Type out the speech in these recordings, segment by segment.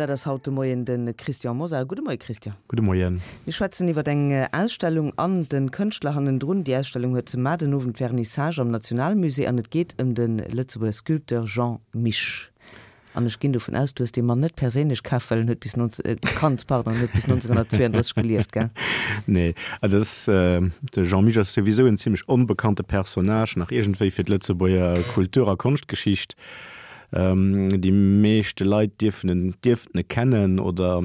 dat ass haut de Moien de Christian Mosar. Gudde Moie Christian. Gudde Moien. Mir schwätzen iwwer eng Ausstellung an de Kënschtler hannendrun. Déi Ausstellung huet mar den Owend Vernissage am Nationalmusée an et geet ëm de Lëtzebuerger Sculpteur Jean Mich. An ech ginn dovun aus, du hues dee Mann net perséinlech kaf, well en huet bis kannt, pardon, en huet bis 1932 gelieft, gell? Nee, also dat ass, de Jean Mich ass souwisou en zimlech onbekannte Personnage nach iergendwéi fir d'Lëtzebuerger Kultur a Konschtgeschicht. Déi meeschte Leit dierfen en, dierften e kennen oder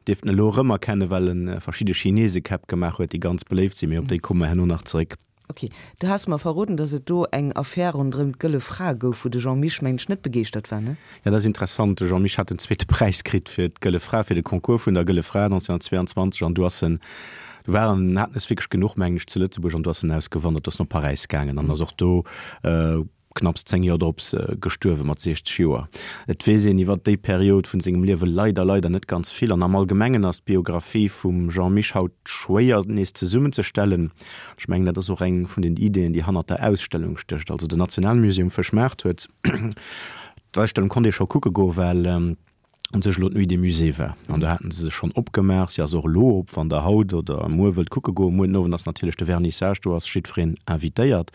dierften e lo erëm erkennen, well e verschidde Chinesekäpp gemaach huet, déi ganz beléift sinn, mee op déi komme mer herno nach zeréck. Ok, du has mer verroden, dass et do eng Affär ronderëm d'Gëlle Fra gouf, wou de Jean Mich, mengen ech, net begeeschtert war, ne? Ja, dat ass interessant. De Jean Mich hat den zweete Präis kritt fir d'Gëlle Fra, fir de Concours vun der Gëlle Fra 1922 an du ass en, du war en, haten es wierklech genuch, mengen ech, zu Lëtzebuerg an du ass en ausgewandert, ass no Paräis gaangen an ass och do knapps 10 Joer drops gestuerwe mat 60 Joer. Et weess een iwwer déi Period vun sengem Liewe leider, leider net ganz vill an am Allgemengen ass d'Biographie vum Jean Mich haut schwéier nees zesummenzestellen. Ech mengen, dat ass och eng vun den Ideeën, déi hannert der Ausstellung stécht. Also den Nationalmusée um Fëschmaart huet d'Ausstellung konnt ee scho kucke goen, well un sech elo d'Nuit des Musées war an do haten se se schonn opgemaach. Si ass och elo op, wann der haut oder muer wëllt kucke goen. Muer den Owend ass natierlech de Vernissage, do ass jiddwereen invitéiert.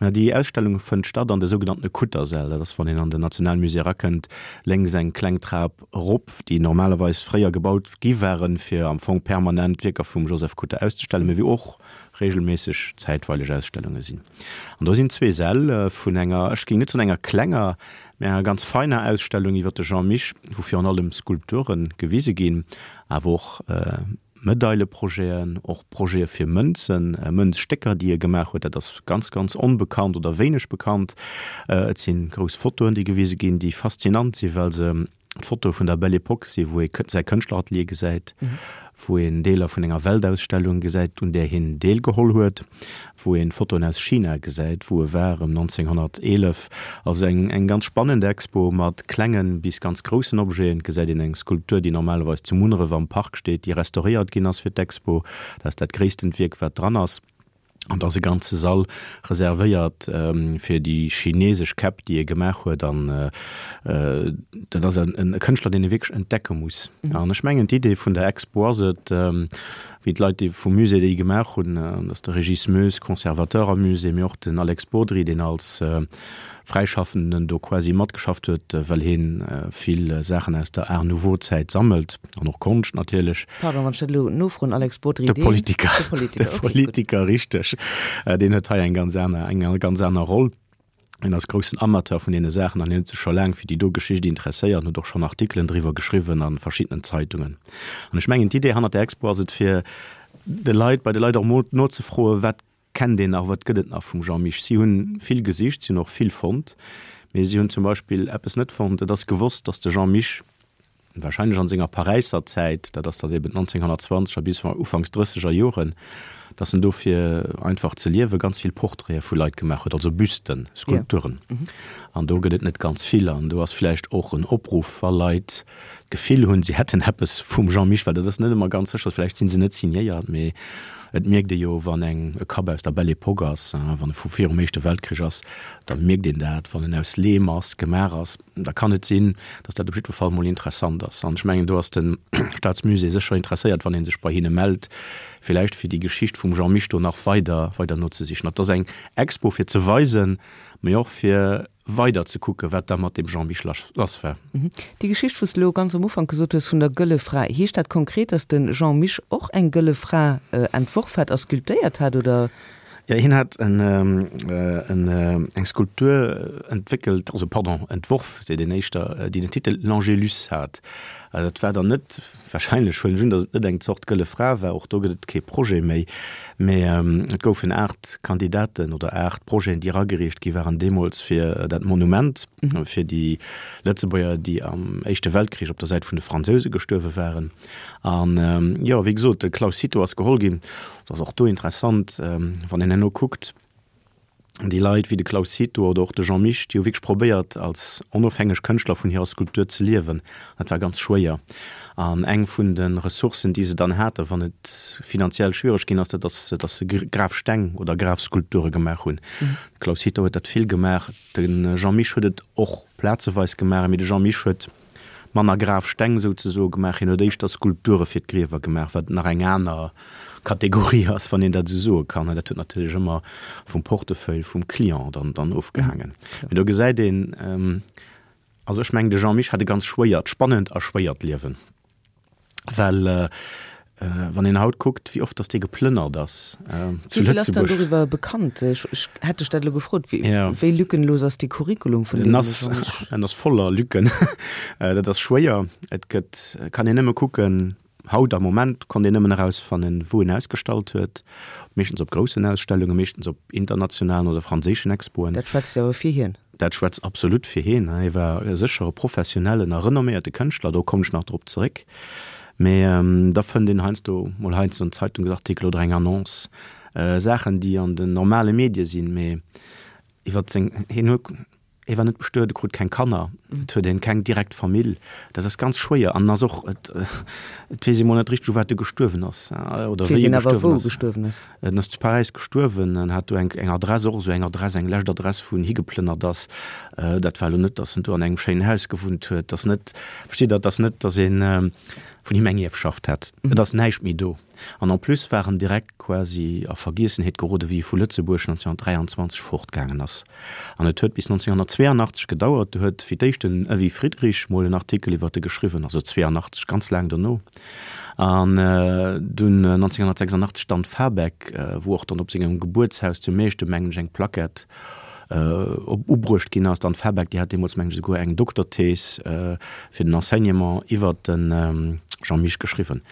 Mä déi Ausstellung fënnt statt an de sougenanntene Kuttersäll. Dat ass, wann een an den Nationalmusée erakënnt, lénks eng kleng Trap erop, déi normalerweis fréier gebaut gi waren, fir am Fong permanent d'Wierker vum Joseph Kutter auszestellen, mä wou och regelméisseg zäitweileg Ausstellunge sinn. An do sinn zwee Säll vun enger, ech géing net soen enger klenger, Mä enger ganz feiner Ausstellung iwwer de Jean Mich, wou virun allem Skulpture gewise ginn, awer och Medaileprojeten, och Projete fir Mënzen, Mënzstécker, déi e gemaach huet. Dat ass ganz, ganz onbekannt oder wéineg bekannt. Et si grouss Fotoen, déi gewise ginn, déi faszinant sinn, well se d'Fotoe vun der Belle Époque sinn, wou ee säi Kënschtleratelier gesäit, wou een Deeler vun enger Weltausstellung gesäit, un där hien deelgeholl huet, wou een Fotoen aus China gesäit, wou e war ëm 1911. Also eng eng ganz spannend Expo mat klengen bis ganz groussen Objeten. Et gesäit een eng Skulptur, déi normalerweis zu Munneref am Park steet, déi restauréiert ginn ass fir d'Expo. Dat ass dat gréisstent Wierk, wat dran ass. An da ass e ganze Sall reservéiert fir déi chinesesch Käpp, déi e gemaach huet. An dat ass e Kënschtler, deen ee wierklech entdecke muss. An ech mengen, d'Idee vun der Expo ass et, wéi d'Leit, déi vum Musée déi gemaach hunn, dat ass de Régis Moes, Conservateur am Musée, mee och den Alex Bodry, deen als Fräischaffenden do quasi matgeschafft huet, well hien vill Saachen aus der Art Nouveau-Zäit sammelt an och Konscht natierlech. Pardon, wann ech dat elo nofroen, Alex Bodry, deen. De Politiker. De Politiker, okay, gutt. De Politiker, richteg. Deen huet hei eng ganz aner, eng ganz aner Roll. Hien ass groussen Amateur vun deene Saachen an hien huet sech scho laang fir déi do Geschicht interesséiert an huet och schonn Artikelen driwwer geschriwwen a verschiddenen Zeitungen. An ech mengen, d'Idee hannert der Expo ass et, fir de Leit, bei de Leit och emol nozefroen, wat Kennt een nach, wat gëtt et nach vum Jean Mich? Si hunn vill gesicht, si hunn och vill fonnt, mee si hunn zum Beispill eppes net fonnt, Et ass gewosst, datt de Jean Mich wahrscheinlech an senger Paräisser Zäit, dat ass dann eben 1920 er bis ufanks drësseger Joren, datt en do fir einfach ze liewe ganz vill Portraite vu Leit gemaach huet, also Büsten, Skulpturen. An do gëtt et net ganz vill. An do ass vläicht och en Opruff, wa Leit d'Gefill hunn, si hätten eppes vum Jean Mich, well dat ass net ëmmer ganz sécher, vläicht si se net signéiert, mee et mierkt ee jo, wann eng e Kapp aus der Belle Époque ass, wann e vu virum Éischte Weltkrich ass, da mierkt een dat. Wann en aus Leem ass, gemaach ass, da kann et sinn, datt dat op jiddwer Fall mol interessant ass. An ech mengen, do ass de Staatsmusée sécher interesséiert, wann ee sech bei hinne mellt, villäicht fir déi Geschicht vum Jean Mich do nach weider weider nozesichen. Et ass eng Expo fir ze weisen, mee och fir weider ze kucken, wat da mat dem Jean Mich lass war. Déi Geschicht, wou s de elo ganz am Ufank gesot hues vun der Gëlle Fra, heescht dat konkret, datt de Jean Mich och eng gëlle Fra entworf hat a sculptéiert hat, oder? Jo, hien hat eng Skulptur entwéckelt, also pardon, entworf, seet een éischter, déi den Titel L'Angélus hat. Dat war dann net Wahrscheinlech huelen ech un, datt et net eng Zort Gëlle Fra war, och do gëtt et kee Projet méi, mä et goufen 8 Kandidaten oder 8 Projeten, déi eragereecht gi waren deemools fir dat Monument fir déi Lëtzebuerger, déi am Éischte Weltkrich op der Säit vun de Fransouse gestuerwe waren. An jo, wéi gesot, de Claus Cito ass geholl ginn. Et ass och do interessant, wann een herno kuckt, déi Leit wéi de Claus Cito oder och de Jean Mich, déi hu wierklech probéiert, als onofhängeg Kënschtler vun hirer Skulptur ze liewen. Dat war ganz schwéier. An eng vun de Ressourcen, déi se dann haten, wann et finanziell schwiereg ginn ass, dat ass, datt se Grafsteng oder Grafskulpture gemaach hunn. De Claus Cito huet dat vill gemaach, de Jean Mich huet et och plazeweis gemaach, mee de Jean Mich huet. manner Grafsteng souzesoe gemaach, hien huet éischter Skulpture fir d'Griewer gemaach, wat nach eng aner Kategorie ass, wann een dat esou soe kann. Dat huet natierlech ëmmer vum Portefeuille vum Client dann, dann ofgehaangen. Mee do gesäit een, also ech mengen, de Jean Mich hat e ganz schwéiert, spannend a schwéiert Liewen. Well wann een haut kuckt, wéi oft datt dee geplënnert ass zu Wéi vill ass dann Lëtzebuerg. doriwwer bekannt? Ech ech hätt dech dat elo gefrot. Wéi Ja. wéi lückenlos ass dee Curriculum vun En deem ass, Jean-Mich? en ass voller Lücken. Dat ass schwéier. Et gëtt, kann een nëmme kucken, haut am Moment konnt een nëmmen erausfannen, wou en ausgestallt huet, meeschtens op groussen Ausstellungen, meeschtens op internationalen oder franséischen Expoen. Dat schwätzt jo awer fir hien. Dat schwätzt absolut fir hien. Hie war sécher e professionellen a renomméierte Kënschtler, do kommen ech nach drop zeréck. Mee da fënnt een heiansdo mol heiansdo en Zeitungsartikel oder eng Annonce, Saachen, déi an den normale Medie sinn, mee iwwer seng, hien huet, hie war net bestuet, e krut keng Kanner, et huet een keng direkt Famill, dat ass ganz schwéier an ass och, et weess ee mol net richteg u wat e gestuerwen ass oder wéi e gestuerwen ass. En ass zu Paräis gestuerwen an hat do eng eng Adress, och esou eng Adress, eng lescht Adress, wou en higeplënnert ass. Dat war elo net, datt en do an engem schéinen Haus gewunnt huet. Ass net, versteet Der, et ass net, datt ee vun him eng Ierfschaft hätt. Et ass näischt méi do. An en plus war en direkt quasi a Vergiessenheet gerode wéi e vu Lëtzebuerg 1923 fortgaangen ass. An et huet bis 1982 gedauert, do huet fir d'éischt den Evy Friedrich mol en Artikel iwwert e geschriwwen, also 82, ganz laang dono. An dunn 1986 d'Anne Fabeck, wou och dann op sengem Gebuertshaus zu Meechtem, mengen ech, eng Plaquette op ubruecht ginn ass. D'Anne Fabeck, déi hat deemools, mengen ech, esouguer eng Dokterthees fir den Enseignement iwwert de Jean Mich geschriwwen.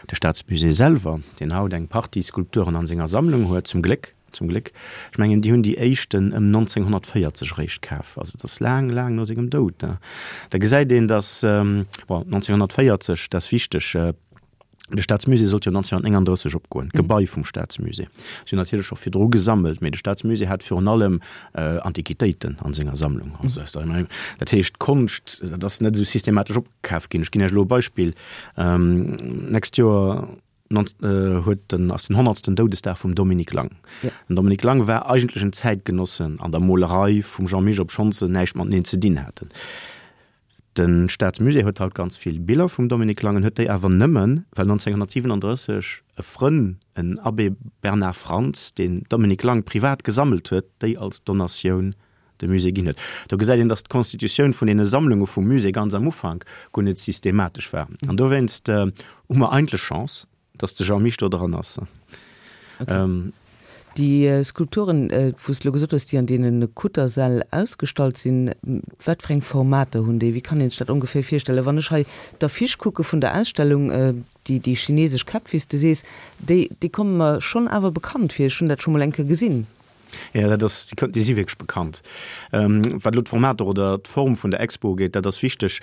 De Staatsmusée selwer, deen haut eng Partie Skulpturen an senger Sammlung huet, zum Gléck, Zum Gléck. Ech mengen, déi hunn déi éischten ëm 1940 eréischt kaf. Also et ass laang, laang no sengem Doud. Da gesäit een, datt, bon, 1940, dat ass wichteg, de Staatsmusée sollt jo 1939 opgoen, d'Gebai vum Staatsmusée. Si hunn natierlech scho virdru gesammelt, mee de Staatsmusée hat virun allem Antiquitéiten a senger Sammlung. Also aus der, dat heescht, d'Konscht, dat ass net esou systematesch opkaf ginn. Ech ginn Iech elo e Beispill, D'nächst Joer, huet den ass den honnertsten Doudesdag vum Dominique Lang. Den Dominique Lang war eigentlech en Zäitgenosse an der Molerei vum Jean Mich, obschonns se näischt mateneen ze dinn haten. De Staatsmusée huet haut ganz vill Biller vum Dominique Lang, en huet déi awer nëmmen, well 1937 e Frënn, en Abbé Bernard Frantz, deen Dominique Lang privat gesammelt huet, déi als Donatioun de Musée ginn huet. Do gesäit een, datt d'Constitutioun vun deene Sammlunge vum Musée ganz am Ufank guer net systematesch war. An dowéinst hu mer eigentlech Chance, datt de Jean Mich do dran ass. Okay. Déi Skulpturen, wou s de elo gesot hues, déi an deene Kuttersäll ausgestallt sinn, wat fir eng Formater hunn déi? Wéi kann een sech dat ongeféier virstellen? Wann ech hei d'Affiche kucke vun der Ausstellung, déi, déi chinesesch Käpp, wéi s de sees, déi, déi komme mer schonn awer bekannt vir. Ech hunn dat scho mol eng Kéier gesinn. Jo, dat ass, déi si wierklech bekannt. Wat elo d'Formater oder d'Form vun der Expo ugeet, dat ass wichteg.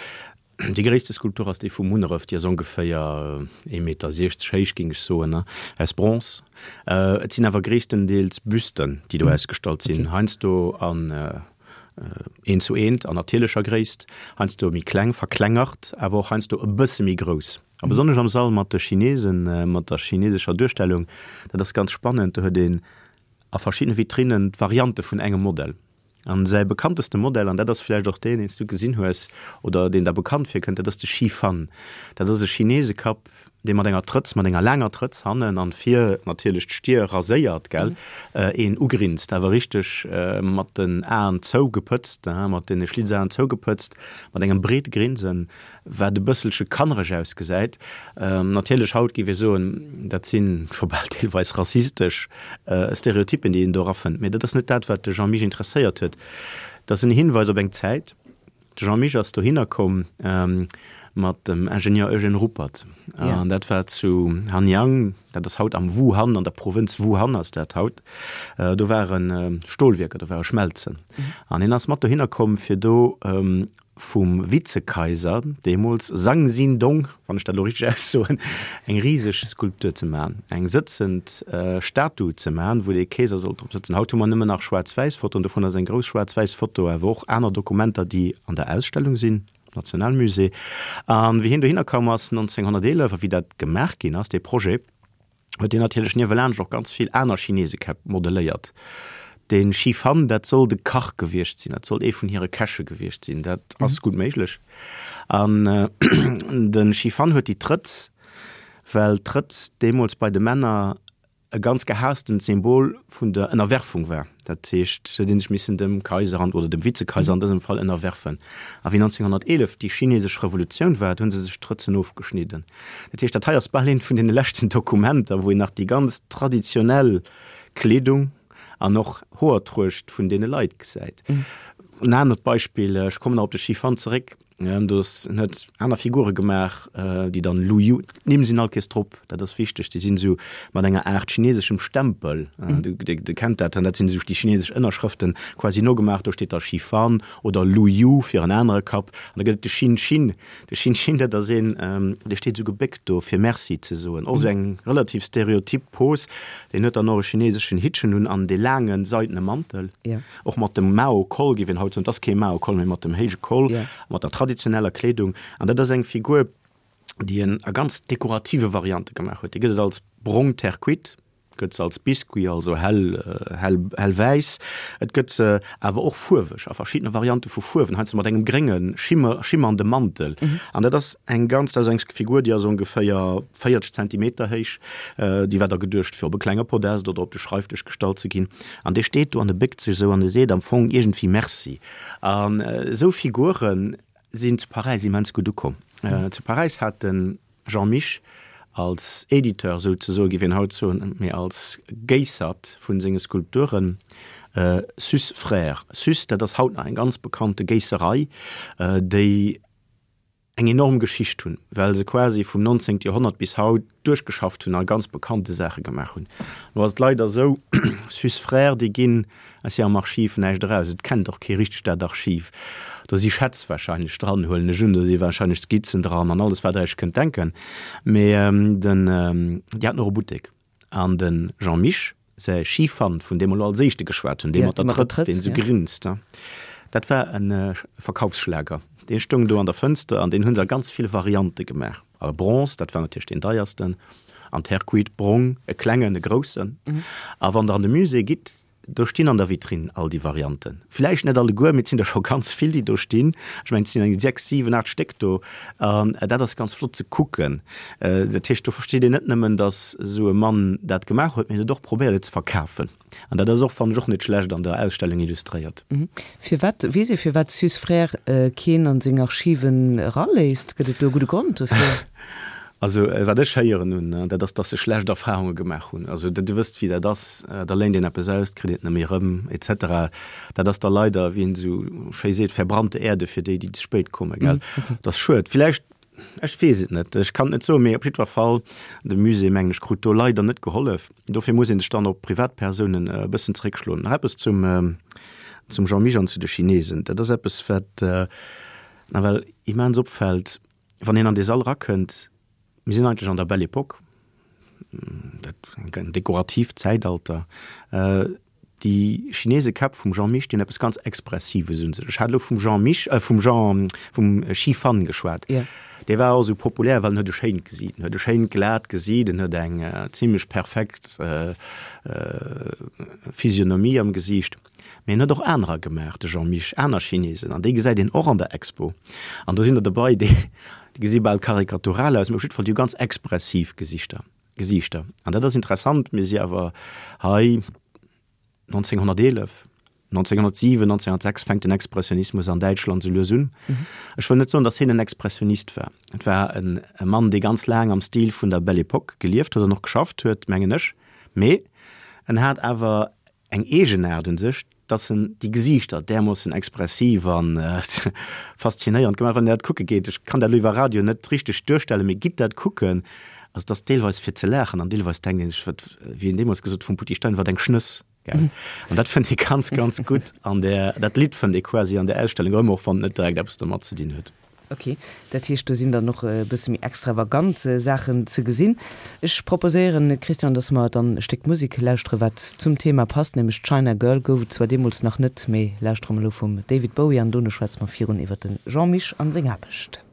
Déi gréisste Skulptur ass déi vu Munneref, déi ass ongeféier ee Meter 60 héich, géing ech soen, aus Bronze. Et sinn awer gréisstendeels Büsten, déi do ausgestallt sinn, heiansdo an eent zu eent an natierlecher Gréisst, heiansdo méi kleng, verklengert, awer och heiansdo e bësse méi grouss. A besonnesch am Sall mat de Chinesen, mat der chinesescher Duerstellung, dat ass ganz spannend, do huet een a verschiddene Vitrinnen d'Variante vun engem Modell. An säi bekannteste Modell, an dat ass vläicht och deen, deen s du gesinn hues oder deen der bekannt virkënnt, dat ass de Shi Fan. Dat ass e Chinesekapp, dee mat enger Trëtz, mat enger laanger Trëtz hannen an vir natierlech d'Stier raséiert, gell, een ugrinst, awer richteg mat den Aen zougepëtzt, mat deene Schlitzaen zougepëtzt, mat engem breete Grinsen. Wat e bësselche kannereg ausgesäit. Natierlech, haut géif ee soen, dat si scho bal deelweis rassistesch Stereotyppen, déi een do erafënnt. Mee dat ass net dat, wat de Jean Mich interesséiert huet. Dat ass en Hinweis op eng Zäit. De Jean Mich ass dohinner komm mat dem Ingenieur Eugène Ruppert. An dat war zu Hanyang, dat ass haut am Wuhan, an der Provënz Wuhan ass dat haut. Do ware Stolwierker, do ware Schmelzen. An hien ass mat dohinner komm, fir do vum Vizekaiser deemools, Zhang Zindong, wann ech dat elo richteg aussoen, eng riseg Skulptur ze maachen, eng sëtzend Statu ze maachen, wou dee Keeser sollt drop sëtzen. Haut hu mer nëmmen nach schwaarz-wäiss Fotoen, dovun ass eng grouss schwaarz-wäiss Foto, awer och aner Dokumenter, déi an der Ausstellung sinn, am Nationalmusée. A wéi hien dohinner koum ass 1911 a wéi dat gemaach ginn ass, dee Projet, huet hien natierlech niewelaanscht och ganz vill aner Chinesekäpp modelléiert. De Shi Fan, dat soll de Kach gewiescht sinn, dat soll ee vun hire Käche gewiescht sinn, dat ass gutt méiglech. An de Shi Fan huet déi Trëtz, well d'Trëtz deemools bei de Männer e ganz gehaastent Symbol vun der Ënnerwerfung war. Dat heescht, se huet ee sech missen dem Kaiser an, oder dem Vizekaiser an dësem Fall, ënnerwerfen. A wéi 1911 déi chinesesch Revolutioun war, do hu se sech d'Trëtzen ofgeschnidden. Dat heescht, dat hei ass bal eent vun deene leschten Dokumenter, wou een nach déi ganz traditionell Kleedung an och Hoertruecht vun deene Leit gesäit. En anert Beispill, ech kommen nach op de Shi Fan zeréck, do ass, en huet aner Figure gemaach, déi dann Lu Yu, d'Nimm sinn all Kees drop, dat ass wichteg, déi sinn esou mat enger Aart chineseschem Stempel, du kennt dat, dat sinn esou déi chinesesch Ënnerschrëften quasi nogemaach, do steet da Shi Fan oder Lu Yu fir en anere Kapp an da gëtt et de Xin Xin, De Xin Xin, dat ass een, dee steet esou gebéckt do, fir Merci ze soen. Och esou eng relativ stereotyp Pose. Deen huet dann och e chineseschen Hittchen un an dee laange seidene Mantel. Och mat dem Mao-Koll, géif een haut soen. Et ass kee Mao-Koll, mee mat dem héije Koll, mat der traditioneller Kleedung. An dat ass eng Figur, déi en a ganz dekorative Variante gemaach huet. Déi gëtt et als brong Terre cuite. Gëtt se als Biscuit, also hell, hell, hellwäiss. Et gëtt se awer och fuerweg, a verschiddene Variante vu Fuerwen, heiansdo mat engem grénge schimmer, schimmernde Mantel. An dat ass eng ganz, dat ass eng Figur, déi ass ongeféier 40 Zentimeter héich. Déi war da geduecht, fir op e klenge Podest oder op de Schreifdësch gestallt ze ginn. An dee steet do an e béckt sech esou an e seet am Fong iergendwéi Merci. An esou Figure sinn zu Paräis immens gutt ukomm. Zu Paräis hat den. Jean Mich, als Editeur souzesoe géif een haut soen, mee als Géissert vun senge Skulpturen, Suss Frères. Suss, dat ass haut nach eng ganz bekannte Géisserei, déi eng enorm Geschicht hunn, well se quasi vum 19. Joerhonnert bis haut duerchgeschafft hunn a ganz bekannte Saache gemaach hunn. Lo ass et leider esou, Suss Frères, déi ginn aus hirem Archiv näischt eraus. Et kennt och kee richteg dat Archiv. Do si Schätz wahrscheinlech dran, huelen ech un. Do si wahrscheinlech Skizzen dran an alles, wat Der Iech kënnt denken. Mee den, déi haten och e Buttek. An de Jean Mich säi Schifant, vun deem mer elo als éischte geschwat hunn, dee mat der Trëtz, deen esou grinst, dat war e Verkaufsschlager. Dee stoung do an der Fënster an deen hu se a ganz ville Variante gemaach. A Bronze, dat war natierlech deen deiersten, an Terre cuite, brong, e klengen, e groussen. A wann Der an de Musée gitt, do stinn an der Vitrinn all déi Varianten. Villäicht net alleguer, mee et sinn der scho ganz vill, déi do stinn. Ech mengen, et sinn eng 6, 7, 8 Stéck do. An dat ass ganz flott ze kucken. Dat heescht, do versteet een net nëmmen, datt esou e Mann dat gemaach huet, mee en huet och probéiert, et ze verkafen. An dat ass och, fannen ech, och net schlecht an der Ausstellung illustréiert. Firwat, weess ee firwat Suss Frères keen an seng Archiven eraléisst? Gëtt et do e gudde Grond dofir? Also wat ech héieren hunn, dat ass, datt se schlecht Erfahrunge gemaach hunn. Also Dir wësst wéi dat ass, da léint een eppes aus, kritt een et net méi erëm, et cetera. Dat ass da leider, wéi een esou schéi seet, verbrannte Erde fir déi, déi ze spéit kommen, gell. Dat ass schued. Villäicht Ech weess et net, ech kann et net soen, mee op jiddwer Fall, de Musée, mengen ech, krut do leider net gehollef. Dofir muss ee sech dann op Privatpersounen e bëssen zeréckschloen. Nach eppes zum, zum Jean Mich an zu de Chinesen. Dat ass eppes, wat nawell immens opfält, wann een an dee Sall erakënnt. Mir sinn eigentlech an der Belle Époque, dat en dekoratiivt Zäitalter. Déi Chinesekäpp vum Jean Mich, déi hunn eppes ganz Expressives un sech. Ech hat elo vum Jean Mich, äh vum Jean, vum Xi Fan geschwat. Ja. Dee war och esou populär, well en huet e schéint Gesiit. En huet e schéint glat Gesiit, en huet eng zimlech perfekt Physionomie am Gesiicht. Mee en huet och anerer gemaach, de Jean Mich, aner Chinesen, an déi gesäit een och an der Expo. An do sinn der dobei, déi gesi bal karikatural aus, mee op jiddwer Fall, déi hu ganz expressiv Gesichter. Gesiichter. An dat ass interessant, mir si awer hei 1911, 1907, 1906 fänkt den Expressionismus an Däitschland sou lues un. Ech wëll net soen, datt hien en Expressionist war. Et war en e Mann, dee ganz laang am Stil vun der Belle Époque gelieft huet an och geschafft huet, mengen ech. Mee en hat awer eng Eegenaart un sech, dass en déi Gesiichter därmoossen expressiv an faszinéierend gemaach. Wann Dir dat kucke geet, ech kann dat elo iwwer Radio net richteg duerstellen, mee gitt dat kucken, also et ass deelweis fir ze laachen an deelweis denkt een sech, wat, wéi een deemools gesot vum Poutty Stein, wat eng Schnëss, gell. An dat fënnt ee ganz, ganz gutt an där, dat Lidd fënnt ee quasi an där Ausstellung erëm, och wann et net direkt eppes domat ze dinn huet. Ok, dat heescht do sinn dann och e bësse méi extravagant Saachen ze gesinn. Ech proposéieren, Christian, dass mer dann e Stéck Musek lauschtere wat zum Thema passt, nämlech China Girl. Gouf et zwar deemools nach net, mee lauschtere mer elo vum David Bowie an dono schwätze mer virun iwwer de Jean Mich an seng Aarbecht.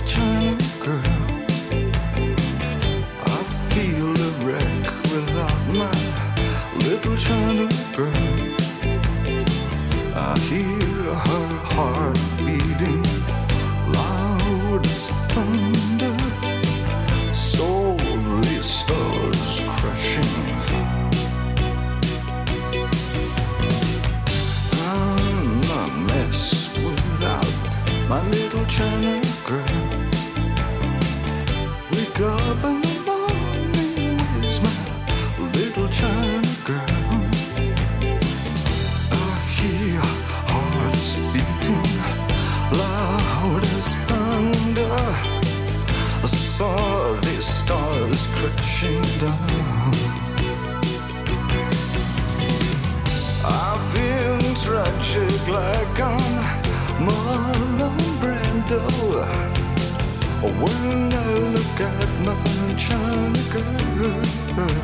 China girl. I feel a wreck without my little China girl. I hear her heart beating loud as thunder. Saw the stars crashing. I'm a mess without my little China girl. Wake up in the morning with my little China girl. I hear hearts beating loud as thunder. I saw the stars crashing down. I've been tragic like I'm Marlon Brando. When I look at my China girl, and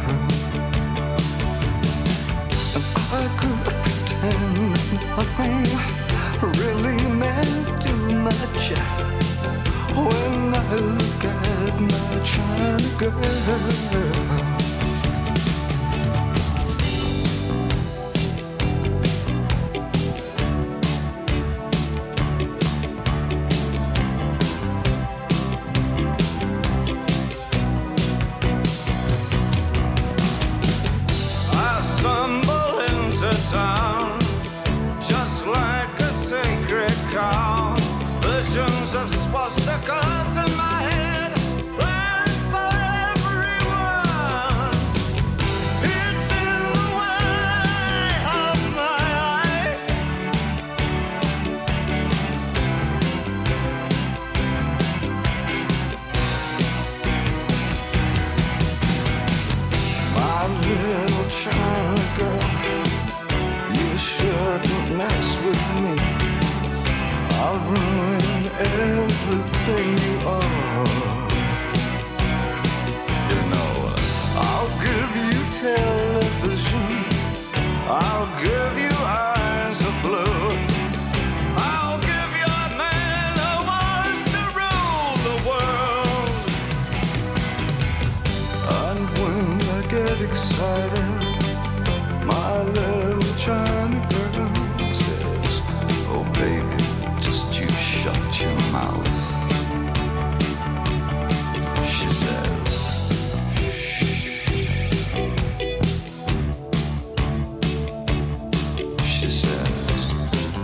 I could pretend nothing really meant too much. When I look at my China girl. I stumble into town just like a sacred cow. Visions of swastikas in my head. Plans for everyone. It's in the way of my eyes. My little China girl, you shouldn't mess with me. I'll ruin everything you are. You know, I'll give you television. I'll give you eyes of blue. I'll give you a man who wants to rule the world. And when I get excited, my little China girl says, Oh baby, just you shut your mouth. She says, Shh. She says,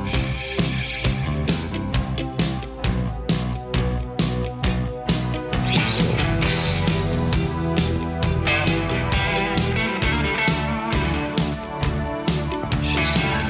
Shh. She says, She says.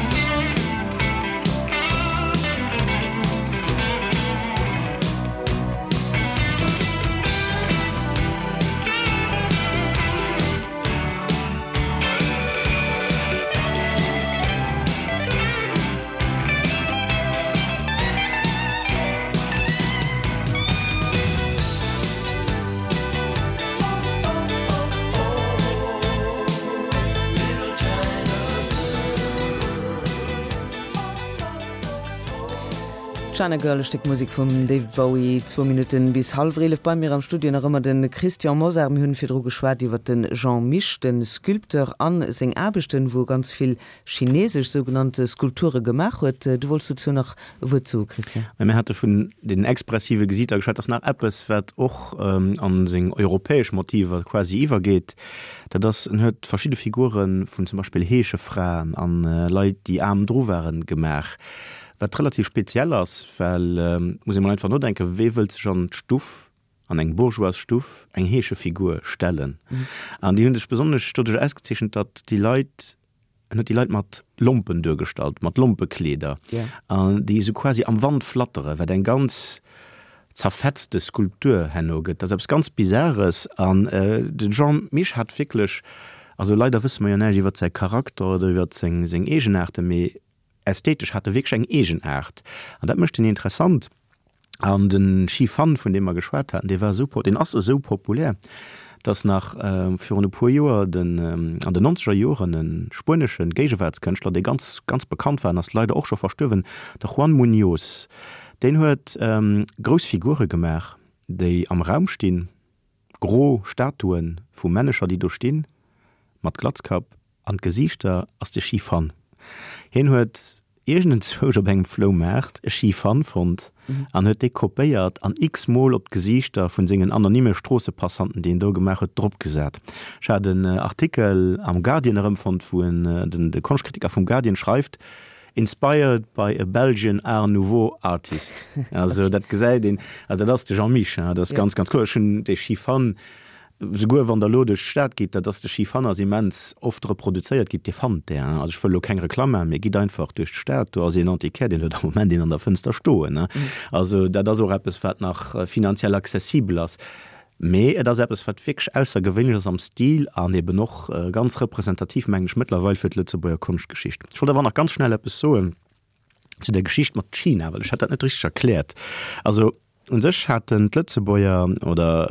China Girl, e Stéck Musek vum David Bowie. Zwou Minutten bis hallwer 11. Bei mir am Studio nach ëmmer de Christian Mosar. Mir hunn virdru geschwat iwwer de Jean Mich, de Sculpteur, a seng Aarbechten, wou e ganz vill chinesesch sougenannte Skulpture gemaach huet. Du wollts dozou nach e Wuert soe, Christian? Mir hate vun den expressive Gesiiter geschwat. Dat ass nach eppes, wat och a seng europäesch Motiver quasi iwwergeet. Dat ass, en huet verschidde Figure vun zum Beispill Heeschefraen a Leit, déi aarm dru waren, gemaach. Wat relativ speziell ass, well, muss ee mol einfach nodenken, wee wëllt sech an d'Stuff, an eng Bourgeoisstuff, eng Heeschefigur stellen? An déi hu sech besonnesch doduerch ausgezeechent, datt déi Leit, en huet déi Leit mat Lompen duergestallt, mat Lompekleeder, an déi esou quasi am Wand flatteren, wat eng ganz zerfetzte Skulptur herno gëtt. Dat ass eppes ganz Bizares. An de Jean Mich hat wierklech, also leider wësse mer jo näischt iwwert säi Charakter oder iwwert seng Eegenaarten, mee Ästhetesch hat e wierklech eng Eegenaart an dat mécht en interessant. An de Xi Fan, vun deem mer geschwat haten, dee war esou, deen ass esou populär, datt nach virun e puer Joer den, an den nonzeger Joren, e spuenesche Géigewaartskënschtler, dee ganz, ganz bekannt war an ass leider och scho verstuerwen, de Juan Muñoz, Deen huet grouss Figure gemaach, déi am Raum stinn, gro Statuen vu Männecher, déi do stinn, mat Glatzkapp, an d'Gesiichter ass de Shi Fan. Hien huet iergendenzwousch op engem Floumaart e Shi Fan fonnt an huet dee kopéiert an x-mol op d'Gesiichter vun sengen anonyme Stroossepassanten, déi en do gemaach huet, dropgesat. Ech hat en Artikel am Guardian erëmfonnt, wou en, den de Konschtkritiker vum Guardian schreift, Inspired by a Belgian Art Nouveau artist. Also dat gesäit een, also dat ass de Jean Mich, dat ass ganz, ganz kloer. Ech hunn dee Shi Fan Souguer wann der elo duerch d'Stad gitt, dat ass de Skifann ass immens oft reproduzéiert gitt, Dir fannt där, also ech wëll elo keng Reklamm maachen, mee gitt einfach duerch d'Stad, do ass een Antiquaire, deen huet am Moment een an der Fënster stoen. Also dat ass och eppes, wat nach finanziell accessibel ass, mee et ass eppes, wat wierklech aussergewéinlech ass am Stil an eben och ganz representativ, mengen ech, mëttlerweil fir d'Lëtzebuerger Konschtgeschicht. Ech wollt awer nach ganz schnell eppes soen zu der Geschicht mat China, well ech hat dat net richteg erkläert. Also U sech haten d'Lëtzebuerger, oder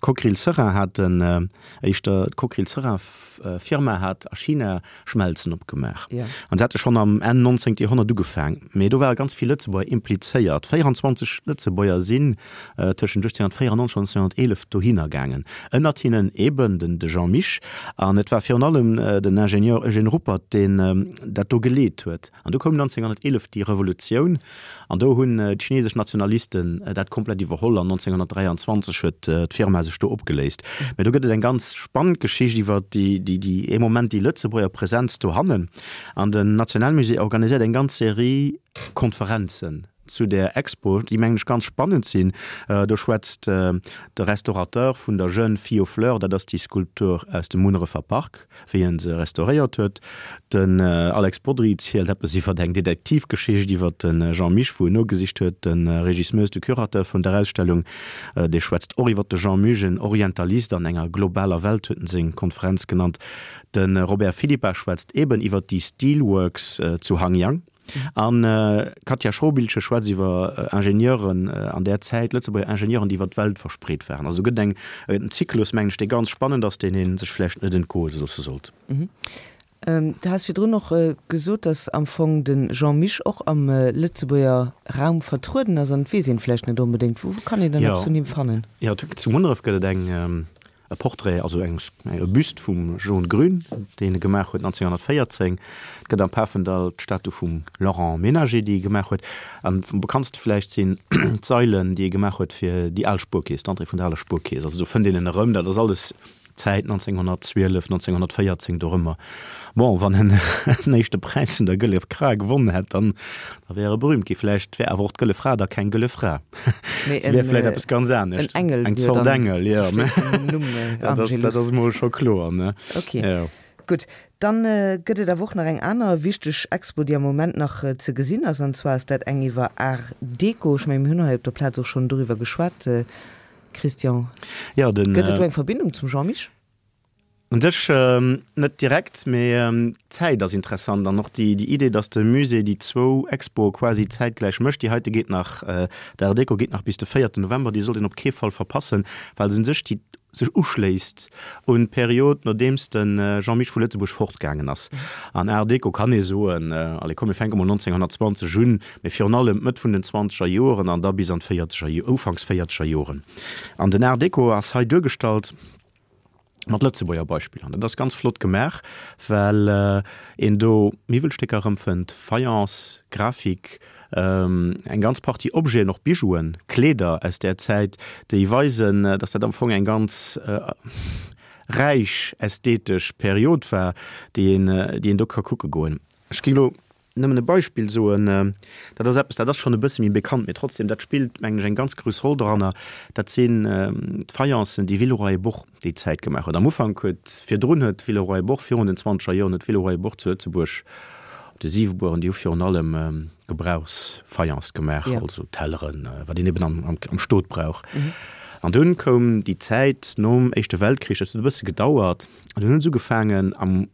d'Cockerill-Seraing haten éischter, d'Cockerill-Seraing-Firma hat a China Schmelzen opgemaach. An se hate schonn am Enn 19. Joerhonnert ugefaang. Mee do ware ganz vill Lëtzebuerger implizéiert. 24 Lëtzebuerger sinn tëschent 1894 an 1911 dohinner gaangen. Ënnert hinnen eeben den de Jean Mich. An et war virun allem den Ingenieur Eugène Ruppert, deen dat do geleet huet. An du koum 1911 déi Revolutioun an do hunn d'chinesesch Nationalisten dat komplett iwwerholl an 1923 huet d'Firma sech do opgeléist. Mä do gëtt et eng ganz spannend Geschicht iwwer déi, déi, déi ee Moment déi Lëtzebuerger Presenz dohannen. An den Nationalmusée organiséiert eng ganz Serie Konferenzen zu där Expo, déi mengen ech ganz spannend sinn. Do schwätzt de Restaurateur vun der Jeune fille aux fleurs, dat ass déi Skulptur aus dem Munnerefer Park, wéi en se restauréiert huet. Den Alex Bodry zielt eppes iwwer eng Detektivgeschicht iwwer de Jean Mich, wou en nogesicht huet. De Régis Moes, de Curateur vun der Ausstellung, dee schwätzt och iwwer de Jean Mich, en Orientalist an enger globaler Welt, huet en seng Konferenz genannt. De Robert Philippart schwätzt eben iwwer déi Steelworks zu Hangyang. An d'Katja Schrobiltgen schwätzt iwwer Ingenieuren an där Zäit, Lëtzebuerger Ingenieuren, déi iwwer d'Welt verspreet waren. Also do gëtt eng, en Zyklus, mengen ech, dee ganz spannend ass, deen ee sech vläicht net entgoe loosse sollt. Du has virdrun och gesot, datt am Fong de Jean Mich och am Lëtzebuerger Raum vertrueden ass, an et weess een vläicht net onbedéngt. Wou kann een dann eppes vun him fannen? Jo, zu Munneref gëtt et eng E Portrait, also eng e Büst vum Jean Grün, deen e gemaach huet 1914. Et gëtt am Pafendall d'Statu vum Laurent Menager, déi e gemaach huet. An am bekanntste vläicht sinn d'Sailen, déi e gemaach huet fir déi al Spuerkeess, d'Entrée vun der aler Spuerkeess. Also do fënnt een en erëm. Dat ass alles Zäit 1912, 1914 dorëmmer. Bon, wann en den éischte Präis vun der Gëlle Fra gewonnen hätt, dann da wär e berühmt gi. Vläicht wär awer och d'Gëlle Fra da keng Gëlle Fra. Mee Se wär vläicht eppes ganz anescht. En Engel Eng wier Zort dann Engel, ze jo. schléissen nom Numm Dat ass, dat Angelus. ass emol scho kloer, ne? Ok, Jo. gutt. Dann gëtt et awer och nach eng aner wichteg Expo, déi am Moment nach ze gesinn ass, an zwar ass dat eng iwwer Art Deco. Ech mengen, mir hunn hei op der Plaz och schonn doriwwer geschwat, Christian. Jo, den. Gëtt et do eng Verbindung zum Jean Mich? Un sech net direkt, mee d'Zäit ass interessant an och déi Idee, datt de Musée déi zwou Expoe quasi zäitgläich mécht. Déi heite geet nach, d'Art Déco geet nach bis de véierten November, déi sollt een op kee Fall verpassen, well se un sech déi sech uschléisst un d'Period, nodeems de Jean Mich vu Lëtzebuerg fortgaangen ass. An Art Déco kann ee soen, allez komm mir fänke mol 1920 un, mee virun allem d'Mëtt vun den zwanzeger Joren an da bis an d'véierzeger, ufanks véierzeger Joren. An den Art Déco ass hei duergestallt, mat Lëtzebuerger Beispiller. An dat ass ganz flott gemaach, well een do Miwwelstécker erëmfënnt, Fayence, Grafik, eng ganz Partie Objeten, och Bijouen, Kleeder aus där Zäit, déi weisen, dass dat am Fong eng ganz räich ästhetesch Period war, déi een, déi een do ka kucke goen. Ech géing elo Nëmmen e Beispill soen, dat ass eppes, dat ass schonn e bësse méi bekannt, mee trotzdem, dat spillt, mengen ech, eng ganz grouss Roll doranner, dat sinn d'Fayencen, déi Villeroy et Boch déi Zäit gemaach huet. Am Ufank huet, virdrun huet Villeroy et Boch, virun den zwanzeger Joren huet Villeroy et Boch zu Lëtzebuerg op de Siwebueren, déi hu virun allem Gebrauchsfayence gemaach, also Telleren, wat een eben am Stot brauch. An dunn koum déi Zäit nom Éischte Weltkrich, dat huet e bësse gedauert, an dunn hu se ugefaangen am,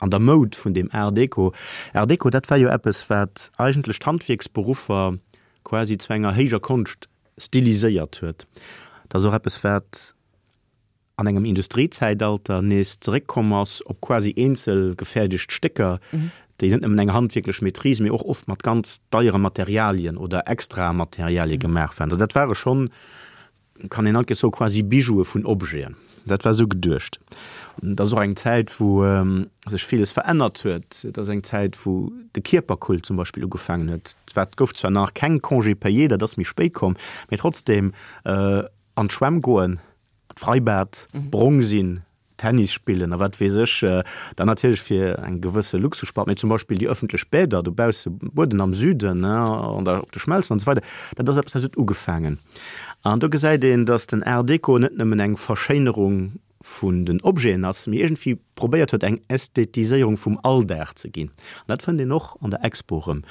An der Moud vun deem Art Déco. Art Déco, dat war jo eppes, wat eigentlech d'Handwierksberuffer quasi zu enger héijer Konscht stiliséiert huet. Dat ass och eppes, wat an engem Industriezäitalter nees zeréckkomm ass op quasi eenzel gefäerdegt Stécker, déi net nëmmen eng handwierklech Maîtrise, mee och oft mat ganz deiere Materialien oder extrae Materialie gemaach waren. Also dat ware schonn, kann een alt soen, quasi Bijoue vun Objeten. Dat war esou geduecht. Et ass och eng Zäit, wou sech villes verännert huet. Et ass eng Zäit, wou de Kierperkult zum Beispill ugefaangen huet. Zwar, et gouf zwar nach keng Congés payés, dat ass méi spéit komm, mee trotzdem an d'Schwämm goen, an d'Freibad, brong sinn, Tennis spillen a wat weess ech, dann natierlech fir eng gewësse Luxusspart, mee zum Beispill déi ëffentlech Bäder dobausse, Bueden am Süden, an der, op de Schmelzen an esou weider, dat ass eppes, dat huet ugefaangen. An do gesäit een, datt den Art Déco net nëmmen eng Verschéinerung vun den Objeten ass, mee iergendwéi probéiert huet, eng Ästhetiséierung vum Alldag ze ginn. An dat fënnt een och an der Expo erëm.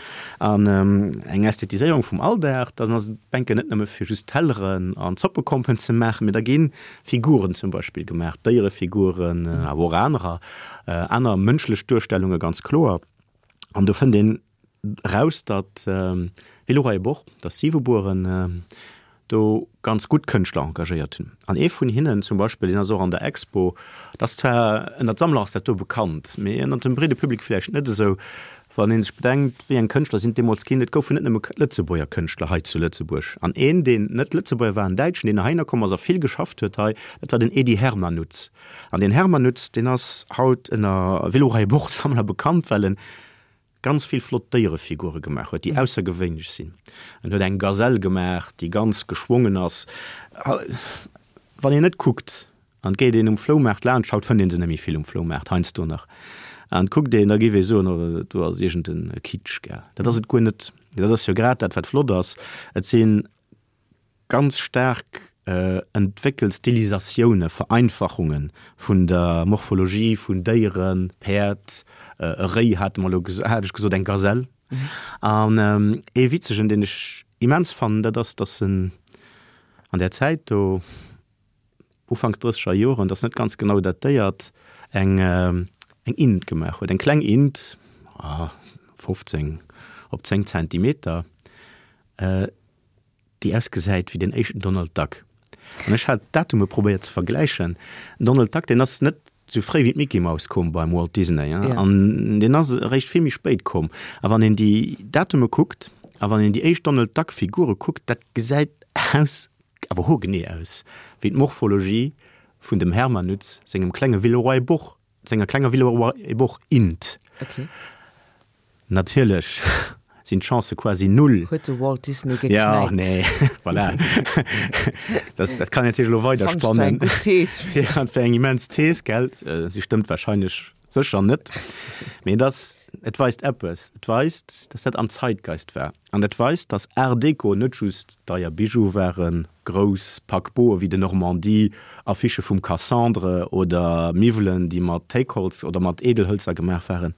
An eng Ästhetiséierung vum Alldag, dann ass d'Bänken net nëmme fir just Telleren an Zoppekompen ze maachen, mee da ginn Figuren zum Beispill gemaach, Déierefiguren, awer och anerer, aner mënschlech Duerstellunge ganz kloer. An do fënnt een eraus, datt Villeroy et Boch, datt Siwebueren do ganz gutt Kënschtler engagéiert hunn. An ee vun hinnen zum Beispill, deen ass och an der Expo, dat ass zwar ënnert Sammler ass dat do bekannt, mee ënnert dem breede Public vläicht net esou, Wann ee sech bedenkt, wéi eng Kënschtler sinn et deemools ginn, et goufen net nëmme Lëtzebuerger Kënschtler hei zu Lëtzebuerg. An een, deen net Lëtzebuerger war, en Däitschen, deen heihinner komm ass a vill geschafft huet hei, dat war den Edy Hermanutz. An deen Hermanutz, deen ass haut ënner Villeroy-Boch-Sammler bekannt, well en ganz vill flott Déierefigure gemaach huet, déi aussergewéinlech sinn. En huet eng Gazelle gemaach, déi ganz geschwongen ass. Wann een net kuckt, An geet een um Floumaart laanscht, haut fënnt een se net méi vill um Floumaart, heiansdo nach, an kuckt een, da géif ee soen, oh do ass iergend en Kitsch, gell. Dat ass et guer net. Dat ass jo grad dat, wat flott ass. Et si ganz staark entwéckelt Stilisatioune, Vereinfachunge vun der Morphologie vun Déieren, Päerd, e Réi hate mer elo, hat ech gesot, eng Gazelle. An ee witzegen, deen ech immens fannen, dat ass, datt en an där Zäit do, Ufanks drësseger Joren, et ass net ganz genau datéiert, eng eng Int gemaach huet, eng kleng Int, 15 op 10 Zentimeter, déi ausgesäit wéi den éischten Donald Duck. An ech hat d'Datume probéiert ze vergläichen. Den Donald Duck, deen ass net sou fréi wéi d'Mickey Mouse komm beim Walt Disney, an deen ass eréischt vill méi spéit komm. A wann een déi Datume kuckt a wann een déi éischt Donald Duck Figure kuckt, dat gesäit aus awer hoergenee aus wéi d'Morphologie vun dem Hermanutz sengem klenge Villeroy-Boch, senger klenger Villeroy-et-Boch-Int. Okay. Natierlech sinn d'Chancë quasi null. Huet de Walt Disney geknäipt. Ja, nee, voilà. Dat, dat kann een natierlech elo weider Fand ech zwar spannen. eng gutt Thees. Ja, et wär eng immens Thees, gell? Si stëmmt wahrscheinlech sécher net. Mee et ass, et weist eppes. Et weist, dass dat am Zeitgeist war. An et weist, dass Art Deco net just deier Bijoue waren, grouss Paquebote wéi de Normandie, Affichë vum Cassandre oder Miwwelen, déi mat Téikholz oder mat Edelhëlzer gemaach waren.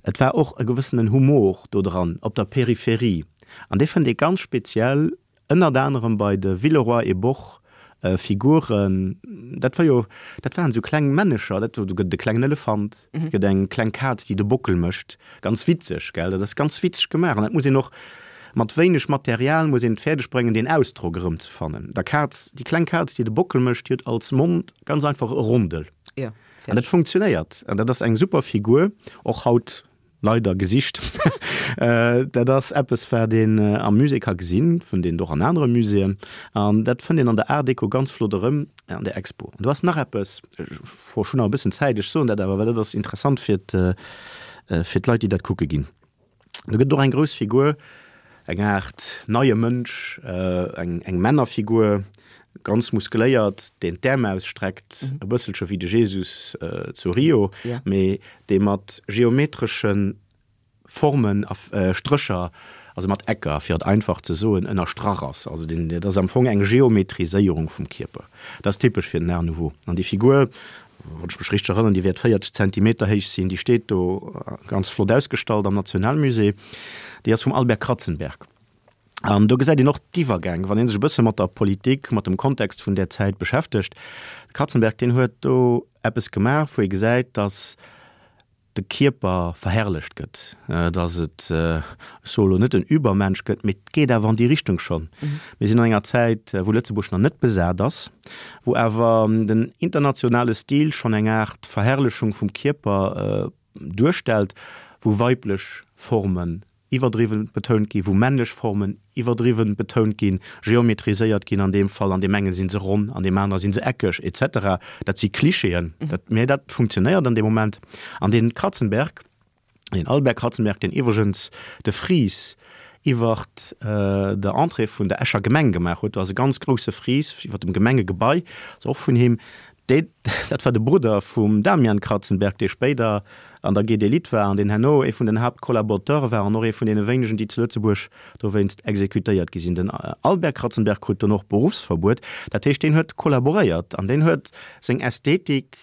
Et war och e gewëssenen Humor do dran, op der Peripherie. An dee fënnt ee ganz speziell Ënnert anerem bei de Villeroy et Boch Figuren, dat war jo, dat waren esou kleng Männecher, dat, do gëtt et e klengen Elefant, et gëtt eng kleng Kaz, déi de Bockel mécht, ganz witzeg, gell, dat ass ganz witzeg gemaach an dat muss een och mat wéineg Material muss een et fäerdeg bréngen, deen Ausdrock erëmzefannen. Der Kaz, déi kleng Kaz, déi de Bockel mécht, déi huet als Mond ganz einfach e Rondel. An dat funktionéiert an dat ass eng super Figur, och haut Leider gesicht. Dat ass eppes, wat een am Musée ka gesinn, fënnt een och an anere Muséeën. An dat fënnt een an der Art Deco ganz flott erëm an der Expo. An do ass nach eppes, ech hunn nach e bëssen Zäit, ech soen dat awer, well dat ass interessant fir fir d'Leit, déi dat kucke ginn. Do gëtt et och eng grouss Figur, eng Aart neie Mënsch, eng eng Männerfigur, ganz muskeléiert, deen d'Äerm ausstreckt, e bësselche wéi de Jesus zu Rio, mee dee mat geometresche Formen a Strécher, also mat Ecker, fir et einfach ze soen, ënnerstrach ass. Also deen, dat ass am Fong eng Geometriséierung vum Kierper. Dat ass typesch fir den Art Nouveau. An déi Figur, wann ech mech richteg erënneren, déi wäert 40 Zentimeter héich sinn, déi steet do ganz flott ausgestallt am Nationalmusée, déi ass vum Albert Kratzenberg. An do gesäit een och d'Iwwergäng, wann ee sech e bësse mat der Politik, mat dem Kontext vun där Zäit beschäftegt. De Kratzenberg, deen huet do eppes gemaach, wou ee gesäit, datt de Kierper verherrlecht gëtt, datt et, ech soe lo net en Übermensch gëtt, mee et geet awer an déi Richtung schonn. Mir sinn an enger Zäit, wou Lëtzebuerg nach net besat ass, wou awer den internationale Stil schonn eng Aart Verherrlechung vum Kierper duerstellt. wou weiblech Formen iwwerdriwwen betount ginn, wou männlech Formen iwwerdriwwen betount ginn, geometriséiert ginn an deem Fall, an deem engen si se ronn, an deem anere si se eckeg, et cetera. Dat si Klischeeën, dat, mä dat funktionéiert an deem Moment. An dee Kratzenberg, deen Albert Kratzenberg, deen iwwregens de Fries iwwert der Entrée vun der Escher Gemeng gemaach huet, do ass e ganz grousse Fries iwwert dem Gemengegebai, ass och vun him, Dee, dat war de Brudder vum Damian Kratzenberg, dee spéider an der GD Lit war an deen herno ee vun den Haaptkollaborateure war an och ee vun deene wéinegen, déi zu Lëtzebuerg dowéinst exekutéiert gi sinn. Den Albert Kratzenberg krut dono och Beruffsverbuet. Dat heescht, deen huet kollaboréiert an deen huet seng Ästhetik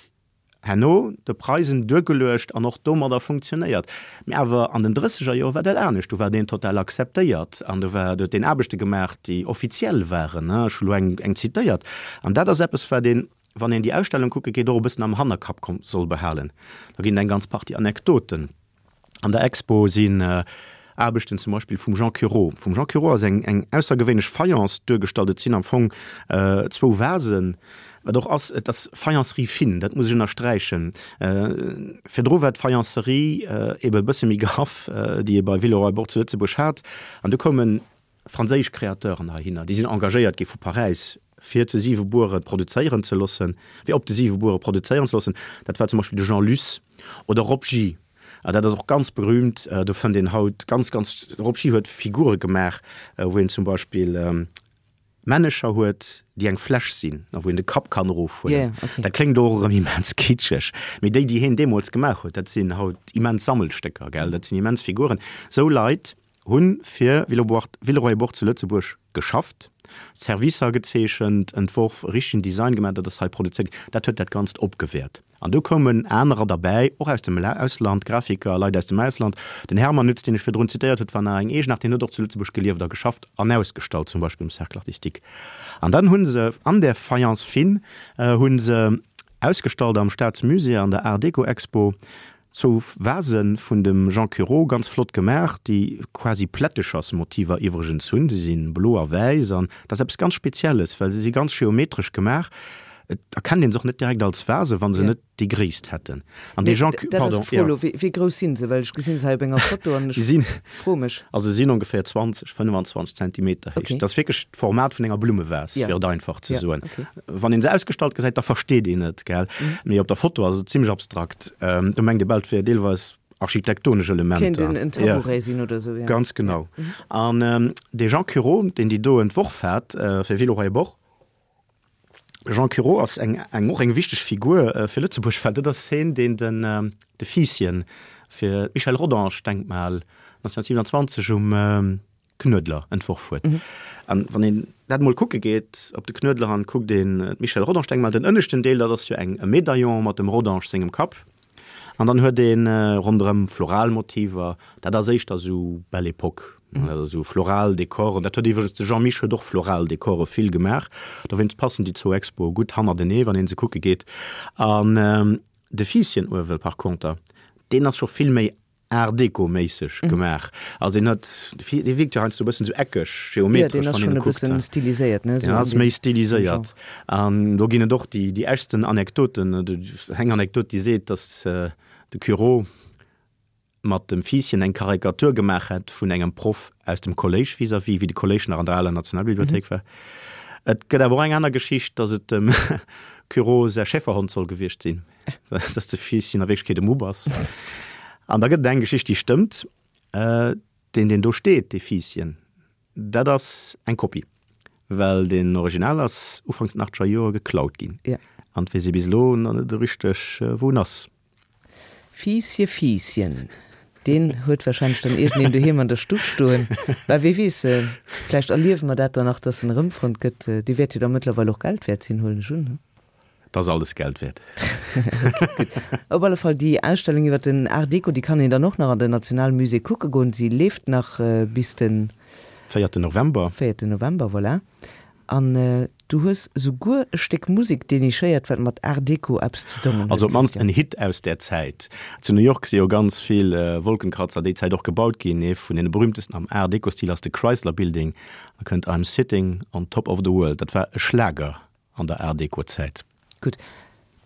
herno de Preisen duergeluecht an och domadder funktionéiert. Mee awer an den drësseger Joer war dat anescht, do war deen total akzeptéiert an do war, do huet deen Aarbechte gemaach, déi offiziell waren, ech hu lo eng, eng zitéiert. An dat ass eppes, wat een, wann een déi Ausstellung kucke geet, och e bëssen am Hannerkapp soll behalen. Do ginn et eng ganz Partie Anekdoten. An der Expo sinn Aarbechten zum Beispill vum Jean Cureau. Vum Jean Cureau ass eng, eng aussergewéinlech Fayence duergestallt. Et sinn am Fong zwou Vasen, wat och ass, et ass Faïencerie fine, dat muss ech ënnersträichen. Virdru war d'Faïencerie eebe e bësse méi graff, déi ee bei Villeroy-Bourg zu Lëtzebuerg hat. An du koume franséisch Créateuren heihinner, déi sinn engagéiert gi vu Paräis, fir zu Siwebuere produzéieren ze loossen, fir op de Siwebuere produzéieren ze loossen. Dat war zum Beispill de Jean Luce oder Rob Gy. A dat ass och ganz berühmt, do fënnt een haut ganz, ganz, de Rob Gy huet Figure gemaach, wou een zum Beispill Männecher huet, déi eng Fläsch sinn a wou een de Kapp kann erofhuelen. Yeah, okay. Dat kléngt och erëm immens kitscheg, mee déi, déi hien deemools gemaach huet, dat sinn haut immens Sammelstécker, gell, dat sinn immens Figuren. Sou Leit hu fir Villeroy-et-Boch zu Lëtzebuerg geschafft, Servicer gezeechent, entworf, e richtegen Design gemaach, dat ass hei produzéiert ginn. Dat huet dat Ganzt opgewäert. An do koumen anerer derbäi, och aus dem Ausland, Grafiker, Leit aus dem Ausland. Den Hermann Nütz, deen ech virdrun zitéiert huet, war nach eng Eegenaart, deen huet och zu Lëtzebuerg gelieft a geschafft an ausgestallt, zum Beispill um Cercle artistique. An dann hu se an där Fayence fine hu se ausgestallt am Staatsmusée an der Art Déco Expo zwou Vase vun dem Jean Cureau, ganz flott gemaach, déi quasi Plättechersmotiver iwwregens hunn. Se si blo a wäiss an dat ass eppes ganz Spezielles, well se si ganz geometresch gemaach. Et erkennt een se och net direkt als Vase, wa se net déi Gréisst hätten. An dee Jean, pardon, dat ass d'Fro elo, wéi grouss si se? Well ech gesinn se hei op enger Foto an ech froe mech. Also se sinn ongeféier 20, 25 Zentimeter héich. Dat ass wierklech d'Format vun enger Blummevas, fir et einfach ze soen. Wann een se ausgestallt gesäit, da versteet een et, gell? Mee op der Foto ass et zimmlech abstrakt. Do mengt ee bal, et wier deelweis architektonesch Elementer. Kéint en Tabouret sinn oder esou, jo. Ganz genau. An dee Jean Cureau, deen déi do entworf hat fir Villeroy-et-Boch, Jean Cureau ass eng, eng, och eng wichteg Figur fir Lëtzebuerg, well dat ass heen, deen den, de Fiisschen fir d'Michel Rodange-Denkmal 1927 um Knuedler entworf huet. An wann een dat emol kucke geet op de Knuedler an kuckt een d'Michel Rodange-Denkmal, den ënneschten Deel, dat ass jo eng, e Medaillon mat dem Rodange sengem Kapp. An dann huet een ronderëm floral Motiver, dat ass éischter esou Belle Époque, dat ass esou floral Dekoren. Dat huet iwwregens de Jean Mich huet och floral Dekore vill gemaach, dowéinst passen déi zwou Expoe gutt hannertenee wann een se kucke geet. An de Fiisschen uewe par conter, deen ass scho vill méi Art Deco-méisseg gemaach. Also deen huet, dee wierkt jo heiansdo e bëssen esou eckeg, geometresch, wann een e kuckt. Ja, deen ass schonn e bëssen stiliséiert, ne? Deen ass méi stiliséiert. An do ginn et och déi, déi eschsten Anekdoten. Eng Anekdot, déi seet, datt de Cureau mat dem Fiisschen eng Karikatur gemaach hätt vun engem Proff aus dem Kolléisch vis-à-vis, wéi de Kolléisch nach an der aler Nationalbibliothéik war. Et gëtt awer och eng aner Geschicht, datt et dem Cureau säi Schäferhond soll gewiescht sinn. dass de Fiisschen a Wierklechkeet e Mupp ass. An da gëtt et eng Geschicht, déi stëmmt, Deen, deen do steet, dee Fiisschen, dat ass eng Kopie, well deen Original ass ufanks den achtzeger Joer geklaut ginn. An et weess ee bis elo nach net esou richteg, wou en ass. Fiissche Fiisschen, deen huet warscheinlech dann iergendeen doheem an der Stuff stoen. Mä wee weess, vläicht erliewe mer dat dann nach, dass en erëmfonnt gëtt. Dee wäert jo da mëttlerweil och Geld wäert sinn, huelen ech un, he? Et ass alles Geld wäert. Gutt. Op alle Fall, déi Ausstellung iwwer den Art Deco, déi kann een dann och nach an den Nationalmusée kucke goen. Si leeft nach bis den. Véierten November. Véierten November, voilà. An du hues souguer e Stéck Musek denichéiert, wat mat Art Deco eppes ze dongen huet, Also op d'mannst en Hit aus där Zäit. Zu New York si jo ganz vill Wolkenkratzer déi Zäit och gebaut ginn. Ee vun deene berühmtesten am Art Deco-Stil ass de Chrysler Building. Da kënnt I'm sitting on top of the world. Dat war e Schlager an der Art Deco Zäit. Gutt.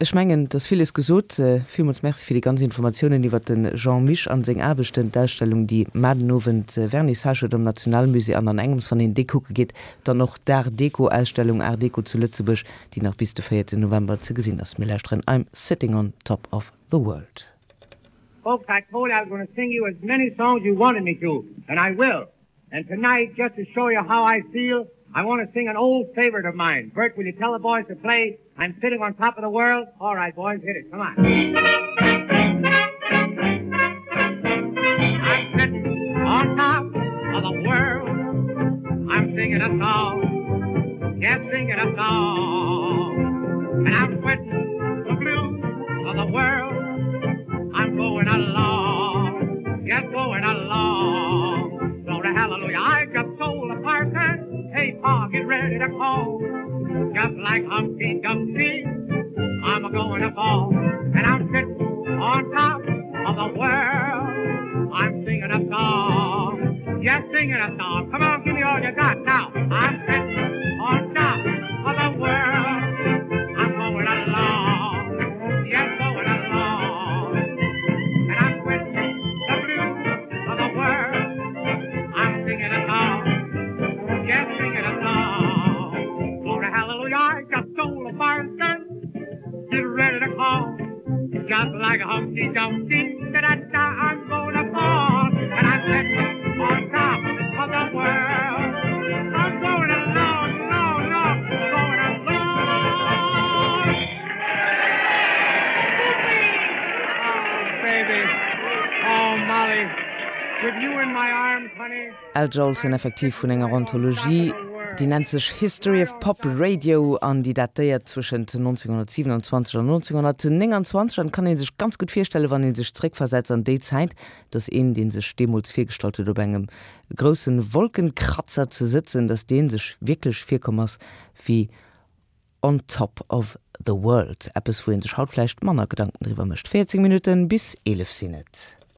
Ech mengen, et ass villes gesot. Villmools Merci fir déi ganz Informatiounen iwwert de Jean Mich an seng Aarbechten. D'Ausstellung, déi mar den Owend Vernissage huet am Nationalmusée an an engems, wann een déi kucke geet, dann och d'Art Deco Ausstellung Art Deco zu Lëtzebuerg, déi nach bis de 4 November ze gesinn ass. Mir lauschteren I'm Sitting on Top of the World. Folks, I told you I was going to sing you as many songs you wanted me to, and I will. And tonight, just to show you how I feel, I want to sing an old favorite of mine. Bert, will you tell the boys to play I'm Sitting on Top of the World? All right, boys, hit it. Come on. I'm sitting on top of the world. I'm singing a song. Yes, singing a song. And I'm quitting the blues of the world. I'm going along. Yes, going along. Glory, hallelujah. I just sold a partner. Hey, Pa, get ready to call. Just like Humpty Dumpty, I'm a going to fall. And I'm sitting on top of the world. I'm singing a song. Yes, singing a song. Come on, give me all you got now. I'm sitting on top of the world. I'm going along. Yes, going along. And I'm quitting the blues of the world. I'm singing a song. Yes, singing a song. Glory, hallelujah, I just stole a fire gun. Get ready to call. Just like a Humpty Dumpty, da da da, I'm gonna fall. And I'm sitting on top of the world. I'm going along, along, along, going along. Oh, baby. Oh, Molly. With you in my arms, honey. Al Jolson effektiv vun enger Anthologie, déi nennt sech History of Pop Radio an déi datéiert zwëschent 1927 an 1929 an kann ee sech ganz gutt virstellen, wann ee sech zréckversetzt an déi Zäit, dass een, dee sech deemools virgestallt huet op engem groussen Wolkenkratzer ze sëtzen, dass dee sech wierklech virkomm ass wéi on top of the world. Eppes wou ee sech haut vläicht manner Gedanken driwwer mécht. 14 Minutten bis 11 sinn et.